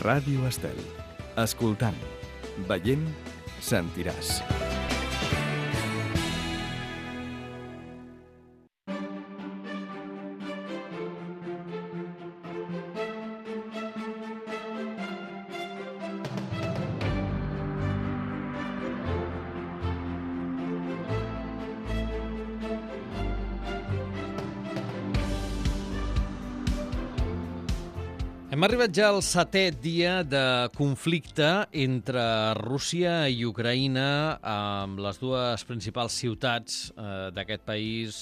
Ràdio Estel. Escoltant, veient, sentiràs. Hem arribat ja al 7è dia de conflicte entre Rússia i Ucraïna, amb les dues principals ciutats d'aquest país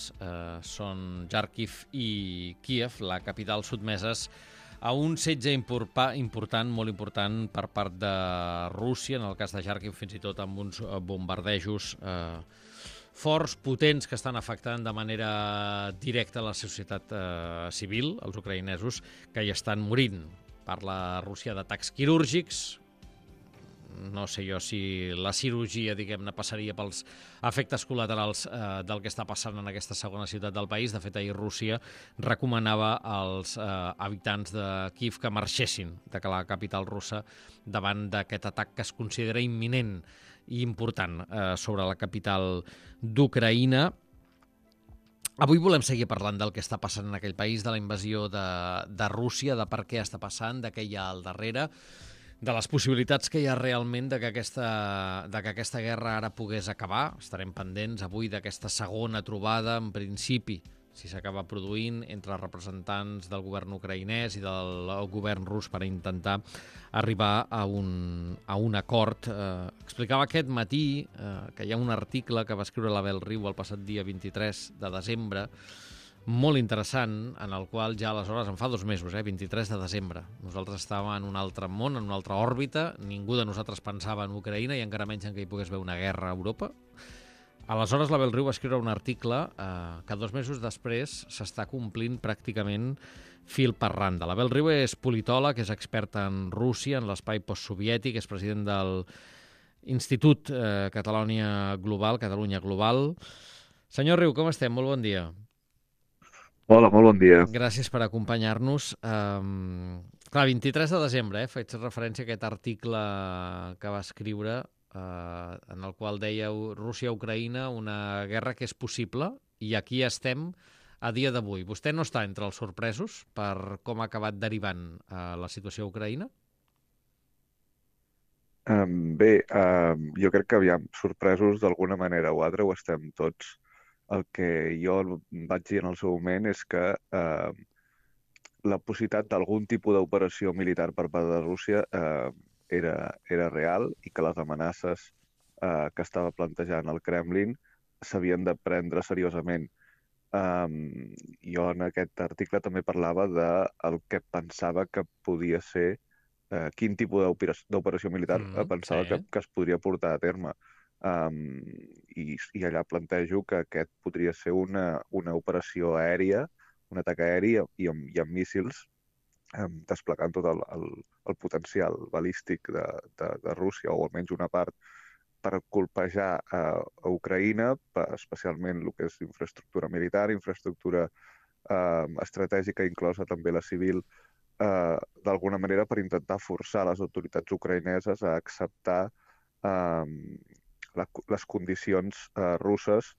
són Kharkiv i Kíev, la capital, sotmeses a un setge important, molt important, per part de Rússia, en el cas de Kharkiv fins i tot amb uns bombardejos forts, potents, que estan afectant de manera directa la societat civil, els ucraïnesos, que hi estan morint. Parla Rússia d'atacs quirúrgics. No sé jo si la cirurgia, diguem-ne, passaria pels efectes col·laterals del que està passant en aquesta segona ciutat del país. De fet, ahir Rússia recomanava als habitants de Kíev que marxessin de la capital russa davant d'aquest atac que es considera imminent i important sobre la capital d'Ucraïna. Avui volem seguir parlant del que està passant en aquell país, de la invasió de Rússia, de per què està passant, de què hi ha al darrere, de les possibilitats que hi ha realment de que aquesta guerra ara pogués acabar. Estarem pendents avui d'aquesta segona trobada, en principi, si s'acaba produint, entre representants del govern ucraïnès i del govern rus per intentar arribar a un acord. Explicava aquest matí que hi ha un article que va escriure l'Abel Riu el passat dia 23 de desembre, molt interessant, en el qual ja aleshores, en fa 2 mesos, 23 de desembre, nosaltres estàvem en un altre món, en una altra òrbita, ningú de nosaltres pensava en Ucraïna i encara menys en que hi pogués haver una guerra a Europa. Aleshores, l'Abel Riu va escriure un article que 2 mesos després s'està complint pràcticament fil per randa. L'Abel Riu és politòleg, és expert en Rússia, en l'espai postsoviètic, és president del Institut Catalunya Global. Senyor Riu, com estem? Molt bon dia. Hola, molt bon dia. Gràcies per acompanyar-nos. Clar, 23 de desembre, faig referència a aquest article que va escriure en el qual dèieu Rússia-Ucraïna, una guerra que és possible, i aquí estem a dia d'avui. Vostè no està entre els sorpresos per com ha acabat derivant la situació a Ucraïna? Jo crec que sorpresos d'alguna manera o altra ho estem tots. El que jo vaig dir en el seu moment és que la possibilitat d'algun tipus d'operació militar per part de Rússia era real i que les amenaces que estava plantejant el Kremlin s'havien de prendre seriosament. Jo en aquest article també parlava del que pensava que podia ser, quin tipus d'operació militar pensava que es podria portar a terme. I allà plantejo que aquest podria ser una operació aèria, un atac aeri i amb míssils, desplegant tot el potencial balístic de Rússia, o almenys una part, per colpejar a Ucraïna, especialment el que és infraestructura militar, infraestructura estratègica, inclosa també la civil, d'alguna manera per intentar forçar les autoritats ucraïneses a acceptar les condicions russes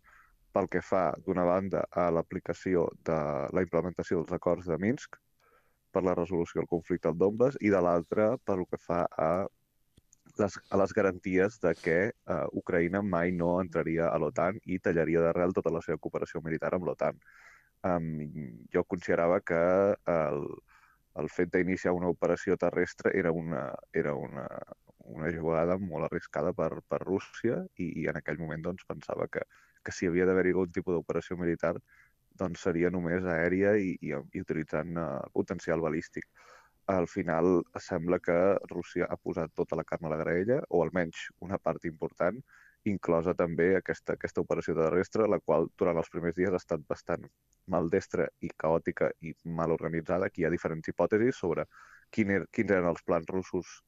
pel que fa, d'una banda, a l'aplicació de la implementació dels acords de Minsk per la resolució del conflicte al Donbass, i de l'altra pel que fa a les garanties de que Ucraïna mai no entraria a l'OTAN i tallaria d'arrel tota la seva cooperació militar amb l'OTAN. Jo considerava que el fet d'iniciar una operació terrestre era una jugada molt arriscada per Rússia, i en aquell moment doncs, pensava que si havia d'haver-hi algun tipus d'operació militar doncs seria només aèria i utilitzant potencial balístic. Al final sembla que Rússia ha posat tota la carn a la graella, o almenys una part important, inclosa també aquesta operació terrestre, la qual durant els primers dies ha estat bastant maldestra i caòtica i mal organitzada. Aquí hi ha diferents hipòtesis sobre quins eren els plans russos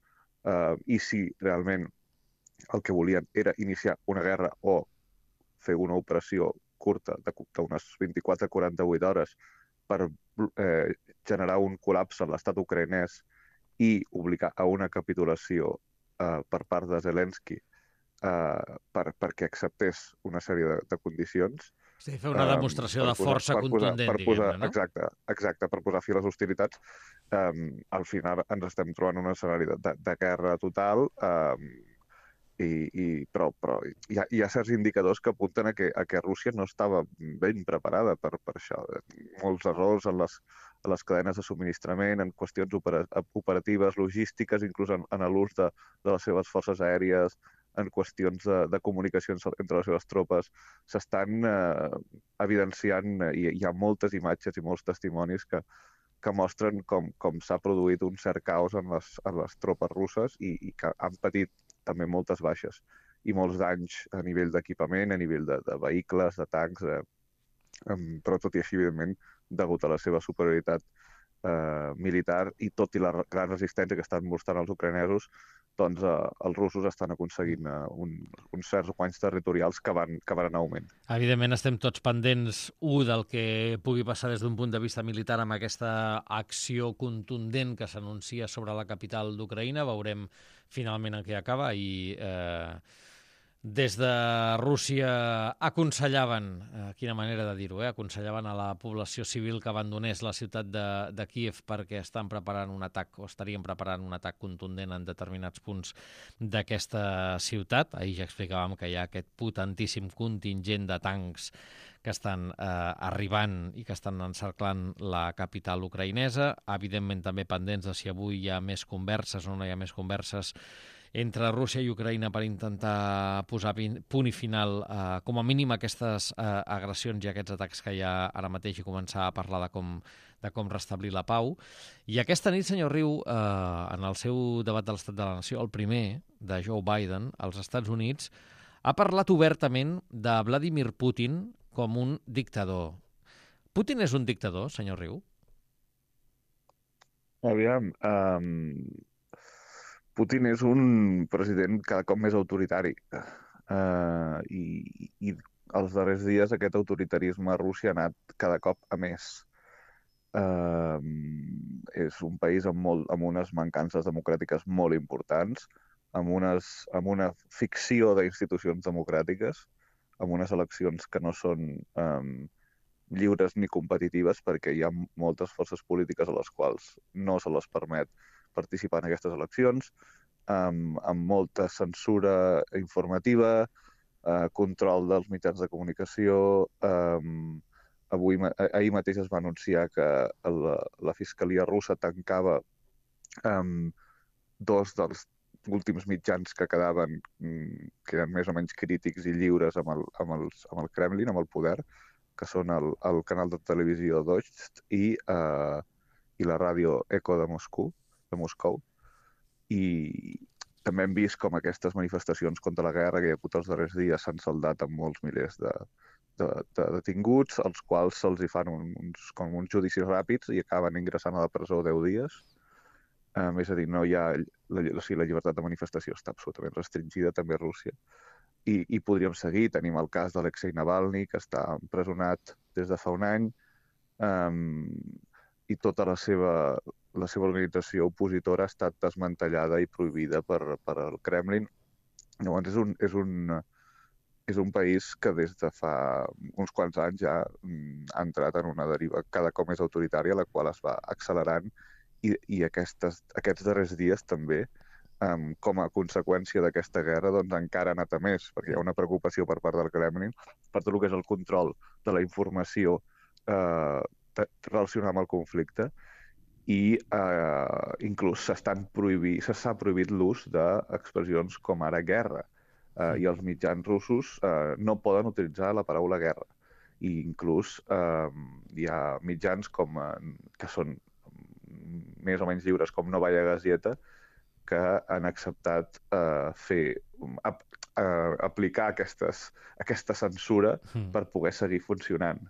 i si realment el que volien era iniciar una guerra o fer una operació curta d'unes 24-48 hores per generar un col·lapse a l'estat ucraïnès i obligar a una capitulació per part de Zelensky perquè acceptés una sèrie de condicions. Sí, fer una demostració de força contundent, diguem-ne, no? Exacte, per posar fi a les hostilitats. Al final ens estem trobant un escenari de guerra total, però hi ha certs indicadors que apunten a que Rússia no estava ben preparada per això. Molts errors en les cadenes de subministrament, en qüestions operatives, logístiques, inclús en l'ús de les seves forces aèries, en qüestions de comunicacions entre les seves tropes, s'estan evidenciant, i hi ha moltes imatges i molts testimonis que mostren com s'ha produït un cert caos en les tropes russes i que han patit també moltes baixes i molts danys a nivell d'equipament, a nivell de vehicles, de tancs, però tot i així, evidentment, degut a la seva superioritat militar i tot i la gran resistència que estan mostrant els ucranesos, doncs els russos estan aconseguint uns certs guanys territorials que van en augment. Evidentment estem tots pendents, del que pugui passar des d'un punt de vista militar amb aquesta acció contundent que s'anuncia sobre la capital d'Ucraïna. Veurem finalment en què acaba i des de Rússia aconsellaven, quina manera de dir-ho, aconsellaven a la població civil que abandonés la ciutat de Kíev perquè estan preparant un atac o estarien preparant un atac contundent en determinats punts d'aquesta ciutat. Ahir ja explicàvem que hi ha aquest potentíssim contingent de tancs que estan arribant i que estan encerclant la capital ucraïnesa. Evidentment també pendents de si avui hi ha més converses o no hi ha més converses entre Rússia i Ucraïna per intentar posar punt i final, com a mínim, a aquestes agressions i aquests atacs que hi ha ara mateix i començar a parlar de com restablir la pau. I aquesta nit, senyor Riu, en el seu debat de l'Estat de la Nació, el primer de Joe Biden, als Estats Units, ha parlat obertament de Vladimir Putin com un dictador. Putin és un dictador, senyor Riu? Aviam, Putin és un president cada cop més autoritari i els darrers dies aquest autoritarisme a Rússia ha anat cada cop a més. És un país amb unes mancances democràtiques molt importants, amb una ficció d'institucions democràtiques, amb unes eleccions que no són lliures ni competitives perquè hi ha moltes forces polítiques a les quals no se les permet participar en aquestes eleccions, amb molta censura informativa, control dels mitjans de comunicació. Ahir mateix es va anunciar que la Fiscalia russa tancava dos dels últims mitjans que quedaven, que eren més o menys crítics i lliures amb el Kremlin, amb el poder, que són el canal de televisió Dost i la ràdio Eco de Moscou. I també hem vist com aquestes manifestacions contra la guerra que hi ha hagut els darrers dies s'han saldat amb molts milers de detinguts, als quals se'ls hi fan uns judicis ràpids i acaben ingressant a la presó 10 dies. És a dir, no hi ha... la llibertat de manifestació està absolutament restringida també a Rússia. I podríem seguir. Tenim el cas d'Alexei Navalny, que està empresonat des de fa un any, i tota la seva organització opositora ha estat desmantellada i prohibida per el Kremlin. Llavors és un país que des de fa uns quants anys ja ha entrat en una deriva cada cop més autoritària, la qual es va accelerant i aquests darrers dies també, com a conseqüència d'aquesta guerra, doncs encara ha anat a més, perquè hi ha una preocupació per part del Kremlin per tot el que és el control de la informació relacionada amb el conflicte i inclús s'ha prohibit l'ús d'expressions com ara guerra i els mitjans russos no poden utilitzar la paraula guerra. I inclús hi ha mitjans que són més o menys lliures com Novaya Gazeta que han acceptat aplicar aquesta censura per poder seguir funcionant.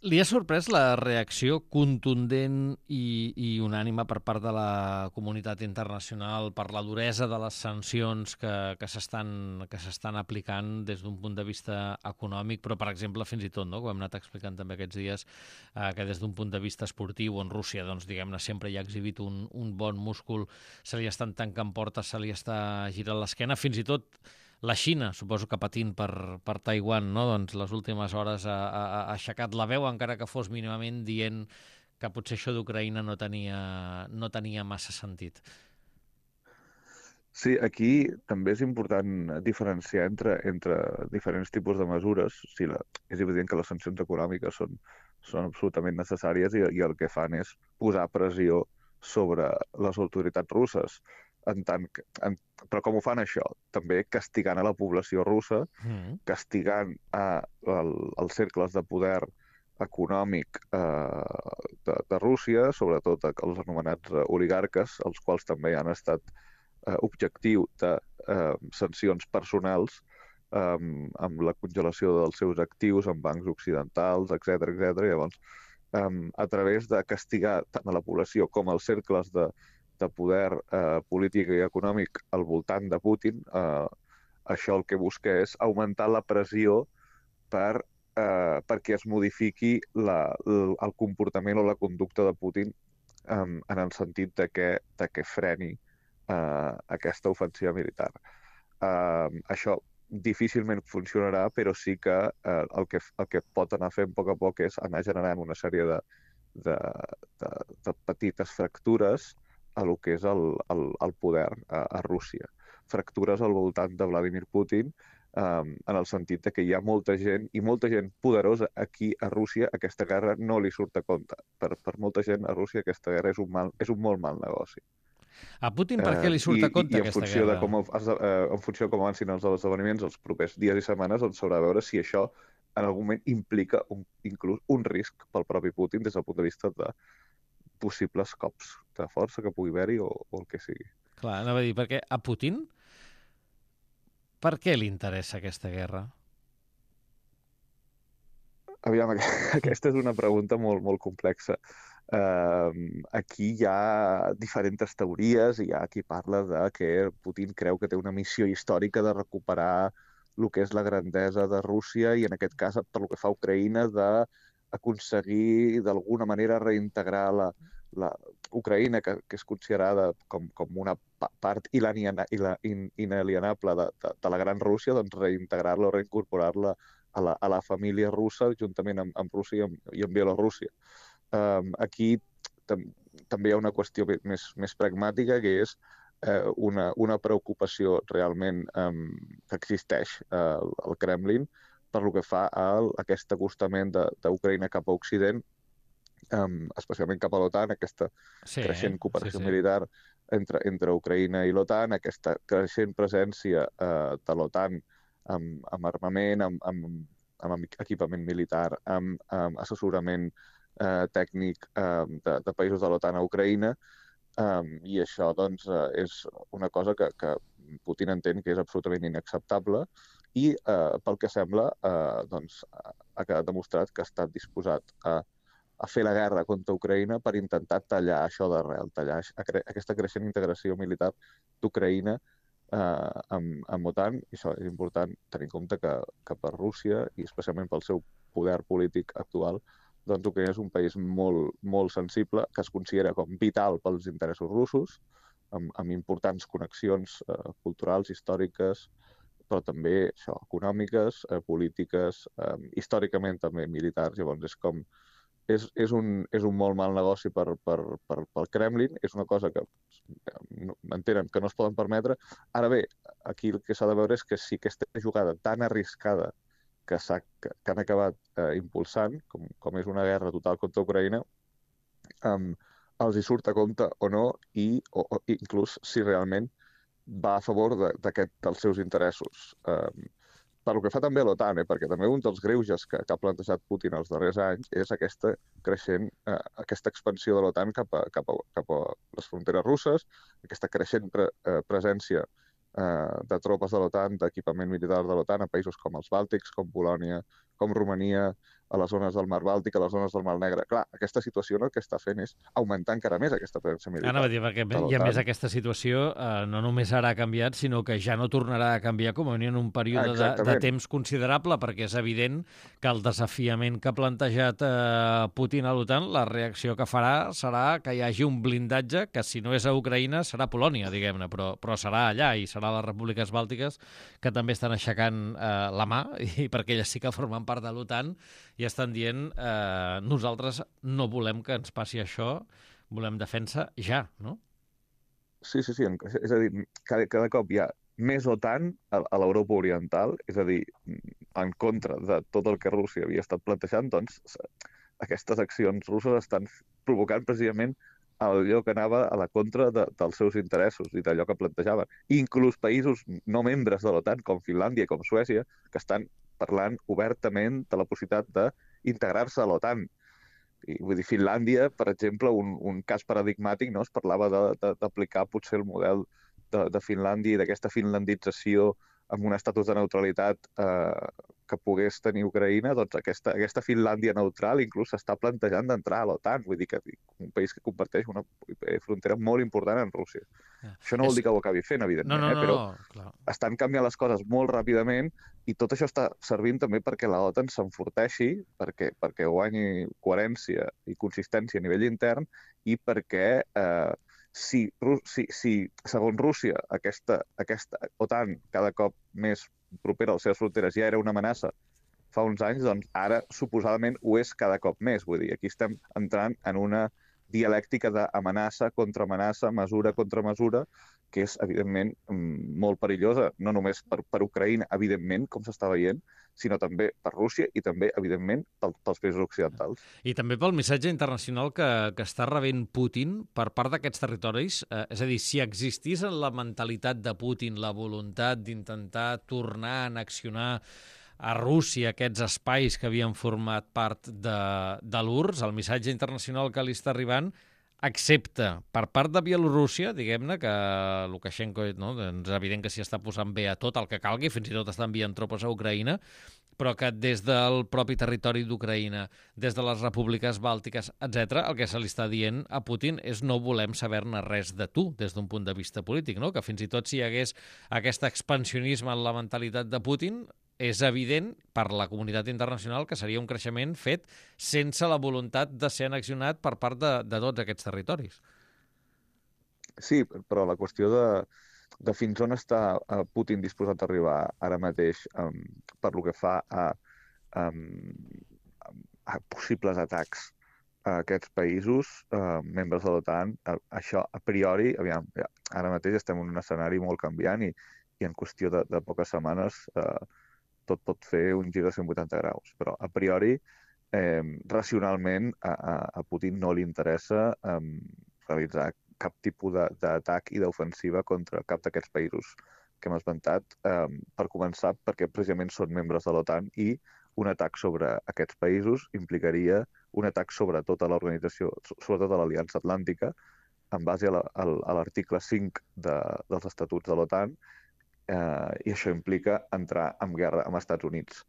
Li ha sorprès la reacció contundent i unànime per part de la comunitat internacional per la duresa de les sancions que s'estan aplicant des d'un punt de vista econòmic, però, per exemple, fins i tot, no, com hem anat explicant també aquests dies, que des d'un punt de vista esportiu, on Rússia, doncs, diguem-ne, sempre hi ha exhibit un bon múscul, se li estan tancant portes, se li està girant l'esquena, fins i tot la Xina, suposo que patint per Taiwan, no? Doncs les últimes hores ha aixecat la veu, encara que fos mínimament dient que potser això d'Ucraïna no tenia massa sentit. Sí, aquí també és important diferenciar entre diferents tipus de mesures. O sigui, és evident que les sancions econòmiques són absolutament necessàries i el que fan és posar pressió sobre les autoritats russes. Però com ho fan això? També castigant a la població russa, castigant els cercles de poder econòmic de Rússia, sobretot els anomenats oligarques, els quals també han estat objectiu de sancions personals amb la congelació dels seus actius en bancs occidentals, etc. Llavors, a través de castigar tant a la població com als cercles de poder polític i econòmic al voltant de Putin, això el que busca és augmentar la pressió perquè es modifiqui el comportament o la conducta de Putin en el sentit de que freni aquesta ofensiva militar. Això difícilment funcionarà, però sí que el que pot anar fent a poc és anar generant una sèrie de petites fractures a lo que és el poder a Rússia. Fractures al voltant de Vladimir Putin, en el sentit que hi ha molta gent, i molta gent poderosa aquí a Rússia, aquesta guerra no li surt a compte. Per molta gent a Rússia aquesta guerra és un molt mal negoci. A Putin per què li surt a compte aquesta guerra? En funció de com avancin els esdeveniments els propers dies i setmanes, doncs s'haurà de veure si això en algun moment implica inclús un risc pel propi Putin des del punt de vista de possibles cops de força que pugui haver-hi o el que sigui. Clar, anava a dir, perquè a Putin per què li interessa aquesta guerra? Aviam, aquesta és una pregunta molt, molt complexa. Aquí hi ha diferents teories, hi ha qui parla de que Putin creu que té una missió històrica de recuperar el que és la grandesa de Rússia i en aquest cas, per lo que fa a Ucraïna, d'aconseguir d'alguna manera reintegrar la Ucraïna, que és considerada com una part inalienable de la gran Rússia, doncs reintegrar-la o reincorporar-la a la família russa juntament amb Rússia i amb Bielorússia. Aquí també hi ha una qüestió més pragmàtica, que és una preocupació realment que existeix al Kremlin per lo que fa a aquest acostament d'Ucraïna cap a Occident, especialment cap a l'OTAN, aquesta creixent cooperació militar entre Ucraïna i l'OTAN, aquesta creixent presència de l'OTAN amb armament, amb equipament militar, amb assessorament tècnic de països de l'OTAN a Ucraïna, i això doncs, és una cosa que Putin entén que és absolutament inacceptable i, pel que sembla, doncs, ha quedat demostrat que ha estat disposat a fer la guerra contra Ucraïna per intentar tallar això d'arrel, tallar aquesta creixent integració militar d'Ucraïna amb OTAN. I això és important tenir en compte que per Rússia, i especialment pel seu poder polític actual, doncs Ucraïna és un país molt, molt sensible, que es considera com vital pels interessos russos, amb importants connexions culturals, històriques, però també això, econòmiques, polítiques, històricament també militars. Llavors és un molt mal negoci pel Kremlin, és una cosa que entenen que no es poden permetre. Ara bé, aquí el que s'ha de veure és que si aquesta jugada tan arriscada que han acabat impulsant, com és una guerra total contra Ucraïna, els hi surt a compte o no, o inclús si realment va a favor dels seus interessos. Per lo que fa també a l'OTAN, perquè també un dels greuges que ha plantejat Putin els darrers anys és aquesta expansió de l'OTAN cap a les fronteres russes, aquesta creixent presència de tropes de l'OTAN, d'equipament militar de l'OTAN a països com els Bàltics, com Polònia, com Romania a les zones del Mar Bàltic, a les zones del Mar Negre. Clar, aquesta situació el que està fent és augmentar encara més aquesta presència militar. Anava a dir, perquè i a més aquesta situació no només ara ha canviat, sinó que ja no tornarà a canviar com a en un període de temps considerable, perquè és evident que el desafiament que ha plantejat Putin a l'OTAN, la reacció que farà serà que hi hagi un blindatge que, si no és a Ucraïna, serà Polònia, diguem-ne, però serà allà i serà a les repúbliques bàltiques que també estan aixecant la mà, i perquè elles sí que formen part de l'OTAN i estan dient nosaltres no volem que ens passi això, volem defensa ja, no? Sí. És a dir, cada cop hi ha més OTAN a l'Europa Oriental, és a dir, en contra de tot el que Rússia havia estat plantejant, doncs aquestes accions russes estan provocant precisament allò que anava a la contra dels seus interessos i d'allò que plantejaven. Inclús països no membres de l'OTAN, com Finlàndia i com Suècia, que estan parlant obertament de la possibilitat d'integrar-se a l'OTAN. Vull dir, Finlàndia, per exemple, un cas paradigmàtic, no? Es parlava d'aplicar potser el model de Finlàndia i d'aquesta finlandització amb un estatus de neutralitat que pogués tenir Ucraïna, doncs aquesta Finlàndia neutral inclús s'està plantejant d'entrar a l'OTAN, vull dir que un país que comparteix una frontera molt important amb Rússia. Això no vol dir que ho acabi fent, evidentment, però estan canviant les coses molt ràpidament i tot això està servint també perquè la OTAN s'enforteixi, perquè guanyi coherència i consistència a nivell intern i perquè si segons Rússia aquesta OTAN cada cop més propera a les seves fronteres ja era una amenaça fa uns anys, doncs ara suposadament ho és cada cop més. Vull dir, aquí estem entrant en una dialèctica d'amenaça contra amenaça, mesura contra mesura, que és, evidentment, molt perillosa, no només per Ucraïna, evidentment, com s'està veient, sinó també per Rússia i també, evidentment, pels països occidentals. I també pel missatge internacional que està rebent Putin per part d'aquests territoris. És a dir, si existís en la mentalitat de Putin la voluntat d'intentar tornar a annexionar a Rússia aquests espais que havien format part de l'URSS, el missatge internacional que li està arribant, excepte per part de Bielorússia, diguem-ne, que Lukashenko, no, és evident que s'hi està posant bé a tot el que calgui, fins i tot està enviant tropes a Ucraïna, però que des del propi territori d'Ucraïna, des de les repúbliques bàltiques, etc., el que se li està dient a Putin és no volem saber-ne res de tu, des d'un punt de vista polític, no? Que fins i tot si hi hagués aquest expansionisme en la mentalitat de Putin, és evident per la comunitat internacional que seria un creixement fet sense la voluntat de ser annexionat per part de tots aquests territoris. Sí, però la qüestió de fins on està Putin disposat a arribar ara mateix per lo que fa a possibles atacs a aquests països, membres de l'OTAN, això a priori, aviam, ara mateix estem en un escenari molt canviant i en qüestió de poques setmanes tot pot fer un gir de 180 graus. Però a priori, racionalment, a Putin no li interessa realitzar cap tipus d'atac i d'ofensiva contra cap d'aquests països que hem esmentat, per començar, perquè precisament són membres de l'OTAN i un atac sobre aquests països implicaria un atac sobre tota l'organització, sobretot a l'Aliança Atlàntica, en base a l'article 5 dels estatuts de l'OTAN, i això implica entrar en guerra amb els Estats Units.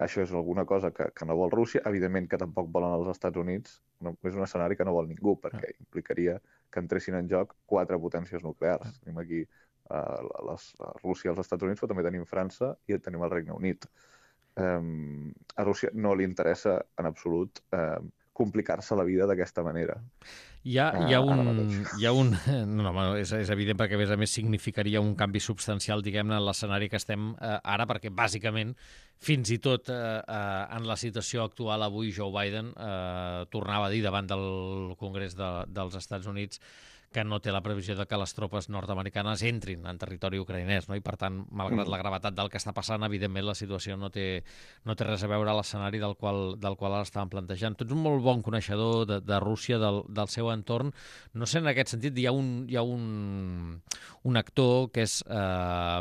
Això és alguna cosa que no vol Rússia, evidentment que tampoc volen els Estats Units, no, és un escenari que no vol ningú, perquè implicaria que entressin en joc 4 potències nuclears. Tenim aquí Rússia i els Estats Units, però també tenim França i tenim el Regne Unit. A Rússia no li interessa en absolut complicar-se la vida d'aquesta manera. Hi ha un... No, és evident perquè, a més significaria un canvi substancial, diguem-ne, en l'escenari que estem ara, perquè, bàsicament, fins i tot en la situació actual avui, Joe Biden tornava a dir davant del Congrés dels Estats Units que no té la previsió de que les tropes nord-americanes entrin en territori ucraïnès, no? I per tant, malgrat la gravetat del que està passant, evidentment la situació no té res a veure a l'escenari del qual ara estàvem plantejant. Tu ets un molt bon coneixedor de Rússia, del seu entorn. No sé, en aquest sentit, hi ha un actor que és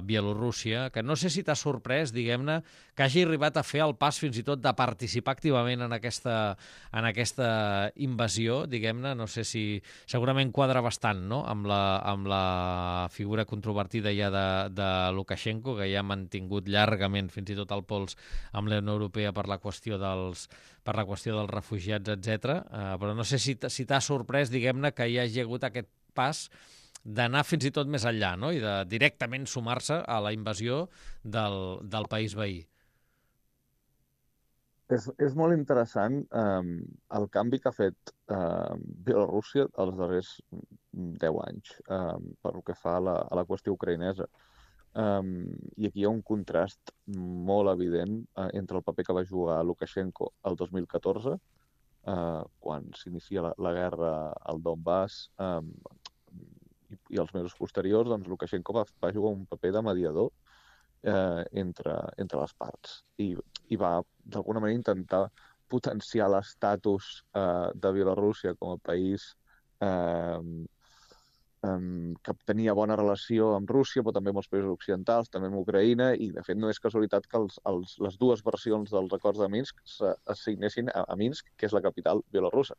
Bielorússia, que no sé si t'ha sorprès, diguem-ne, que hagi arribat a fer el pas fins i tot de participar activament en aquesta invasió, diguem-ne. No sé si segurament quadra bastant bastant, no?, amb la figura controvertida ja de Lukashenko, que ja ha mantingut llargament fins i tot el pols amb la Unió Europea per la qüestió dels refugiats, etc. Però no sé si t'ha sorprès, diguem-ne, que hi hagi hagut aquest pas d'anar fins i tot més enllà, no?, i de directament sumar-se a la invasió del país veí. És molt interessant el canvi que ha fet Bielorússia els darrers 10 anys pel que fa a la qüestió ucraïnesa. I aquí hi ha un contrast molt evident entre el paper que va jugar Lukashenko el 2014, quan s'inicia la guerra al Donbass, i els mesos posteriors, doncs Lukashenko va jugar un paper de mediador entre les parts i va d'alguna manera intentar potenciar l'estatus de Bielorússia com a país que tenia bona relació amb Rússia, però també amb els països occidentals, també amb Ucraïna, i de fet no és casualitat que les dues versions dels acords de Minsk es signessin a Minsk, que és la capital bielorussa.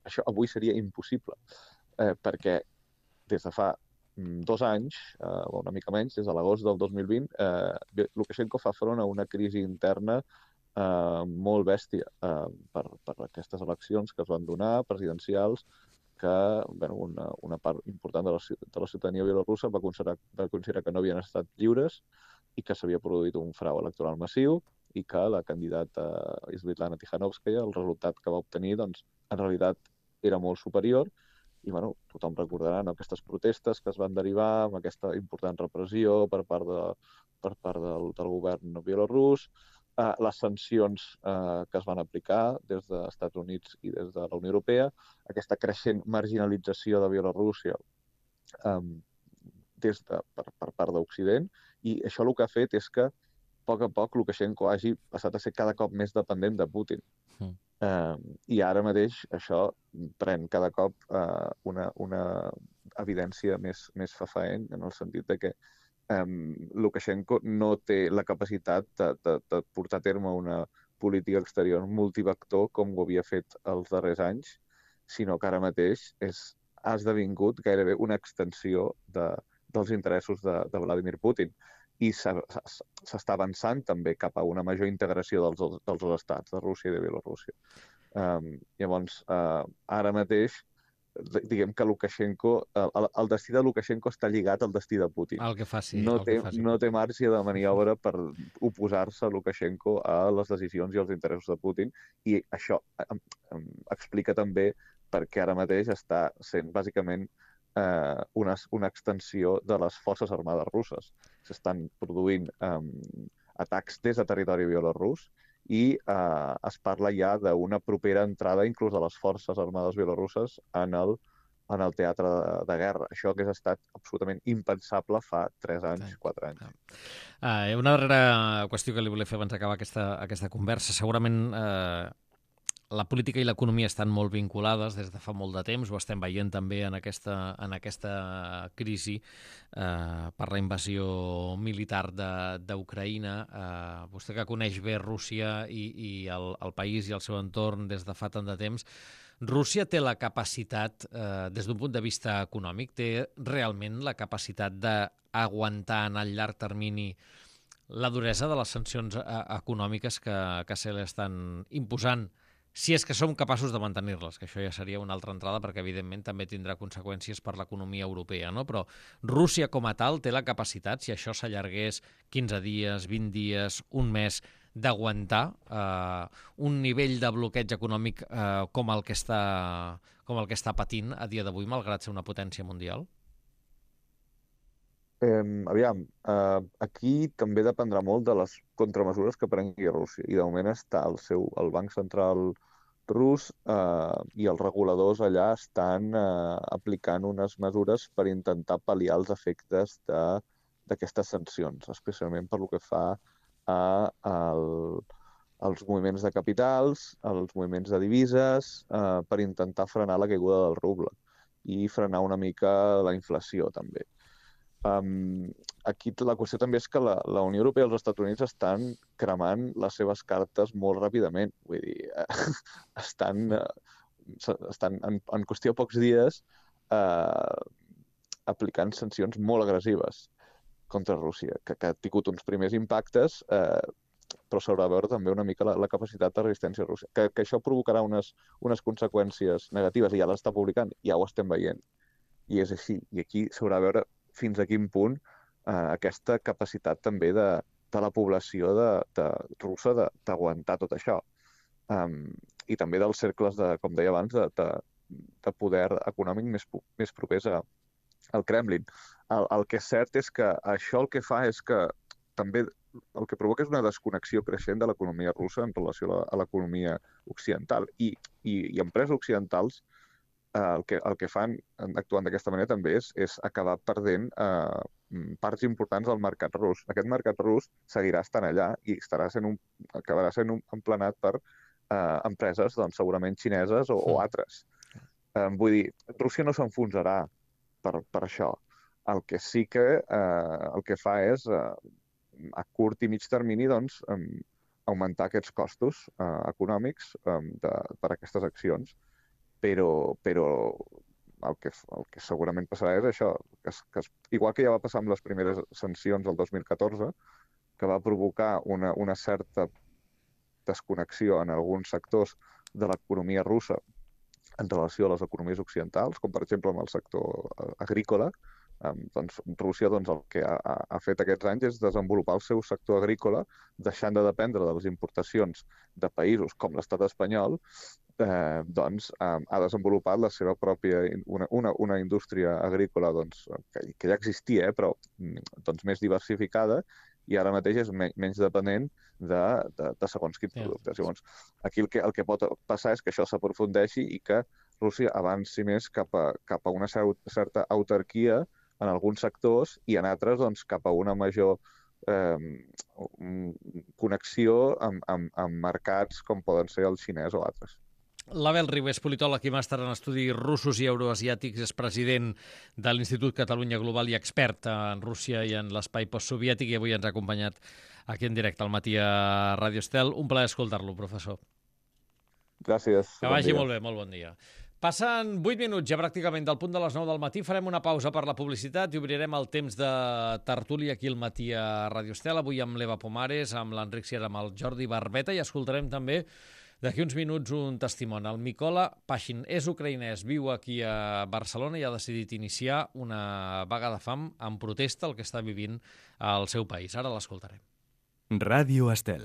Això avui seria impossible, perquè des de fa 2 anys, o una mica menys, des de l'agost del 2020, Lukashenko fa front a una crisi interna molt bèstia per aquestes eleccions que es van donar, presidencials, que una part important de la ciutadania bielorussa va considerar que no havien estat lliures i que s'havia produït un frau electoral massiu i que la candidata Svetlana Tikhanovskaya, el resultat que va obtenir, doncs, en realitat era molt superior. I tothom recordarà aquestes protestes que es van derivar amb aquesta important repressió per part del govern bielorús, les sancions que es van aplicar des dels Estats Units i des de la Unió Europea, aquesta creixent marginalització de Bielorússia per part d'Occident, i això el que ha fet és que, a poc Lukashenko hagi passat a ser cada cop més dependent de Putin. I ara mateix això pren cada cop una evidència més fefaent, en el sentit de que Lukashenko no té la capacitat de portar a terme una política exterior multivector com ho havia fet els darrers anys, sinó que ara mateix ha esdevingut gairebé una extensió dels interessos de Vladimir Putin. I s'està avançant també cap a una major integració dels dos estats, de Rússia i de Bielorússia. Llavors, ara mateix, diguem que Lukashenko, el destí de Lukashenko està lligat al destí de Putin. El que faci. No té marge de maniobra per oposar-se a Lukashenko a les decisions i als interessos de Putin, i això explica també perquè ara mateix està sent bàsicament una extensió de les forces armades russes. S'estan produint atacs des de territori bielorús i es parla ja d'una propera entrada inclús de les forces armades bielorusses en el teatre de guerra. Això hagués estat absolutament impensable fa 3 anys, 4 anys. Una darrera qüestió que li volia fer abans d'acabar aquesta conversa. Segurament la política i l'economia estan molt vinculades des de fa molt de temps, ho estem veient també en aquesta crisi per la invasió militar d'Ucraïna. Vostè que coneix bé Rússia i el país i el seu entorn des de fa tant de temps, Rússia té la capacitat, des d'un punt de vista econòmic, té realment la capacitat d'aguantar en el llarg termini la duresa de les sancions econòmiques que se li estan imposant, si és que som capaços de mantenir-les, que això ja seria una altra entrada perquè, evidentment, també tindrà conseqüències per l'economia europea, no? Però Rússia com a tal té la capacitat, si això s'allargués 15 dies, 20 dies, un mes, d'aguantar un nivell de bloqueig econòmic com el que està patint a dia d'avui, malgrat ser una potència mundial? Aquí també dependrà molt de les contramesures que prengui Rússia. I de moment està el Banc Central rus i els reguladors allà estan aplicant unes mesures per intentar pal·liar els efectes d'aquestes sancions, especialment per lo que fa als moviments de capitals, als moviments de divises, per intentar frenar la caiguda del ruble i frenar una mica la inflació també. Aquí la qüestió també és que la Unió Europea i els Estats Units estan cremant les seves cartes molt ràpidament. Vull dir, estan en qüestió de pocs dies aplicant sancions molt agressives contra Rússia, que ha tingut uns primers impactes, però s'haurà de veure també una mica la capacitat de resistència russa. Que això provocarà unes conseqüències negatives, i ja l'està publicant, ja ho estem veient. I és així. I aquí s'haurà de veure fins a quin punt aquesta capacitat també de la població russa d'aguantar tot això. I també dels cercles, com deia abans, de poder econòmic més propers al Kremlin. El que és cert és que això el que fa és que també el que provoca és una desconnexió creixent de l'economia russa en relació a l'economia occidental. I empreses occidentals el que fan actuant d'aquesta manera també és acabar perdent parts importants del mercat rus. Aquest mercat rus seguirà estant allà i acabarà sent emplenat per empreses doncs, segurament xineses o altres. Vull dir, Rússia no s'enfonsarà per això. El que sí que el que fa és, a curt i mig termini, doncs, augmentar aquests costos econòmics per aquestes accions. Però el que segurament passarà és això, que igual que ja va passar amb les primeres sancions del 2014, que va provocar una certa desconnexió en alguns sectors de l'economia russa en relació a les economies occidentals, com per exemple amb el sector agrícola. Doncs Rússia el que ha fet aquests anys és desenvolupar el seu sector agrícola, deixant de dependre de les importacions de països com l'estat espanyol, doncs ha desenvolupat la seva pròpia una indústria agrícola que ja existia, però doncs més diversificada, i ara mateix és menys dependent de segons quins productes. Llavors, aquí el que pot passar és que això s'aprofundeixi i que Rússia avanci més cap a una certa autarquia en alguns sectors i en altres doncs, cap a una major connexió amb mercats com poden ser el xinès o altres. L'Abel Ribes, politòleg i màster en estudis russos i euroasiàtics, és president de l'Institut Catalunya Global i expert en Rússia i en l'espai postsoviètic, i avui ens ha acompanyat aquí en directe al matí a Ràdio Estel. Un plaer escoltar-lo, professor. Gràcies. Que vagi molt bé, molt bon dia. Passen 8 minuts ja pràcticament del punt de les 9 del matí. Farem una pausa per la publicitat i obrirem el temps de tertúlia aquí al matí a Ràdio Estel. Avui amb l'Eva Pomares, amb l'Enric Sierra, amb el Jordi Barbeta, i escoltarem també d'aquí uns minuts un testimoni. El Mikola Pashin és ucraïnès, viu aquí a Barcelona i ha decidit iniciar una vaga de fam en protesta al que està vivint al seu país. Ara l'escoltarem. Ràdio Estel.